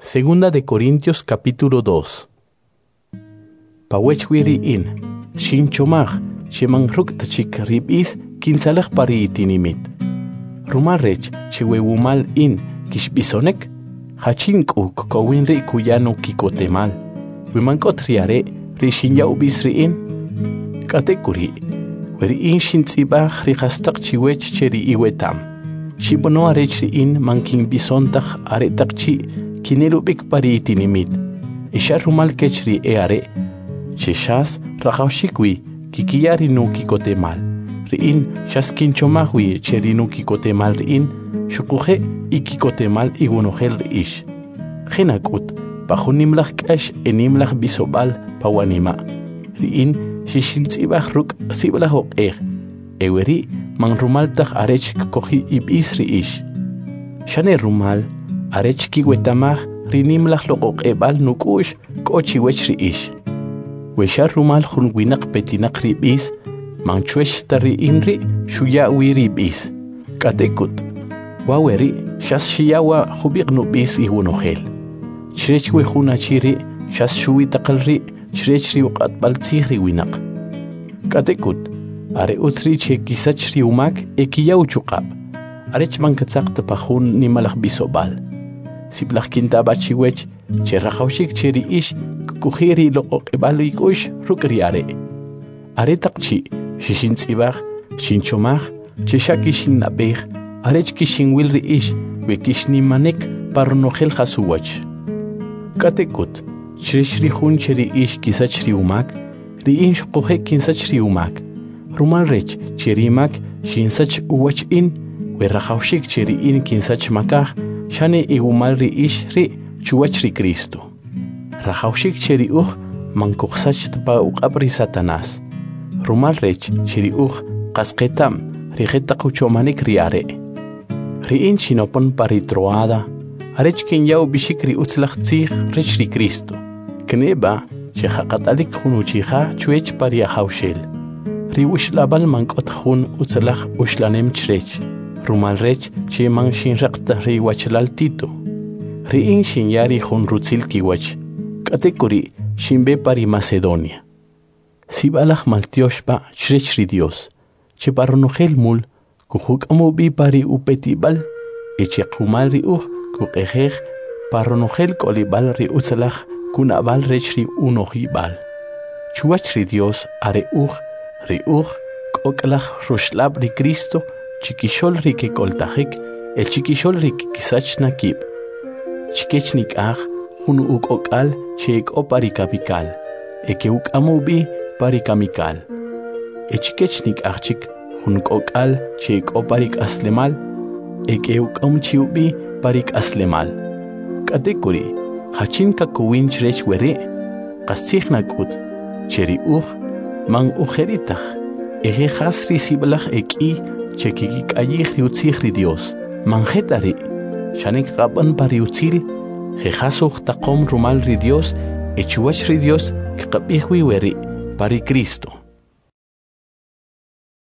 Segunda de Corintios capítulo 2. Pa wech wi ri in, xinchomaj che man ruk' ta chik ri b'is kintzalej pa ri itinimit. Rumal rech che we wumal in kixb'isonek, jachin k'u kkowin ri' kuya nukikotemal, we man k'ot ri are' ri xinya ub'is ri in? K'atek'uri', we ri in xintz'ib'aj ri jastaq chiwech che ri iweta'm, xib'ano arech ri in man kinb'ison taj aretaq chi' kinel ub'ik pa ri itinimit, e xa rumal kech ri e'are' che xas rajawxik wi kikiya ri nukikotemal. Ri in xas kinchomaj wi che ri nukikotemal ri in xuquje' ikikotemal iwonojel ri ix. Je' nak'ut, pa jun nimlaj k'ax e nimlaj b'isob'al pa wanima', ri in xixintz'ib'aj ruk' sib'alaj oq'ej, e weri' man rumal taj arech kk'oji' ib'is ri ix. Xane rumal arech kiweta'maj ri nimlaj loq'oq'eb'al nuk'u'x k'o chiwech ri ix. We xa rumal jun winaq petinaq ri b'is, man chwech ta ri in ri' xuya wi ri b'is. K'atek'ut, wa weri' xas xiya wa jub'iq' nub'is iwonojel. Chrech we jun achi ri' xas xuwi taqal ri' chrech ri uq'atb'al tzij ri winaq. K'atek'ut, are utz ri' che kisach ri umak e kiya uchuq'ab', arech man katzaq ta pa jun nimalaj b'isob'al. Sib'alaj kintab'a chiwech che rajawxik che ri ix kk'oji' ri loq'oq'eb'al ik'u'x ruk' ri are'. Aretaq chi' xixintz'ib'aj, xinchomaj che xa kixinnab'ej arech kixinwil ri ix we kixnimanik pa ronojel jas uwach. K'atek'ut, chrech ri jun che ri ix kisach ri umak, ri in xuquje' kinsach ri umak. Rumal rech che ri mak xinsach uwach in, we rajawxik che ri in kinsach makaj, xane iwumal ri ix ri' chuwach ri Cristo. Rajawxik che ri uj man kujsach ta pa uq'ab' ri Satanás. Rumal rech che ri uj qas qeta'm ri jetaq uchomanik ri are'. Ri in xinopon pa ri Troada, arech kinya ub'ixik ri utzalaj tzij rech ri Cristo. Kneb'a che jaqatalik jun uchija chwech pa ri Ajawxel. Ri uxlab'al man k'ot jun utzalaj uxlanem chrech, rumal rech che man xinraq ta ri wachalal Tito. Ri in xinya ri jun rutzil kiwach, k'atek'uri' xinb'e pa ri Macedonia. Sib'alaj maltyox b'a chrech ri Dios, che pa ronojel mul kujuk'am ub'i pa ri upetib'al e che qumal ri uj kuq'ejej pa ronojel k'olib'al ri utzalaj kunab'al rech ri unojib'al. Chuwach ri Dios are uj, ri uj k'ok'laj ruxlab' ri Cristo chikixo'l ri kek'oltajik e chikixo'l ri kikisach na kib'. Chikech nik'aj jun uk'ok'al che ek'o pa ri kamikal, e ke'uk'am ub'i pa ri kamikal. E chikech nik'aj chik jun k'ok'al che ek'o pa ri k'aslemal, e ke'uk'am chi ub'i pa ri k'aslemal. K'atek'uri', jachin kakowin chrech weri'? Qastzij nak'ut, che ri uj man ujeri' taj, e je' jas ri sib'alaj ek'i che kikik'ayij ri utzij ri Dios. Man je' ta ri', xane kqab'an pa ri utzil, je' jas uj taqom rumal ri Dios e chuwach ri Dios kqab'ij wi weri' pa ri Cristo.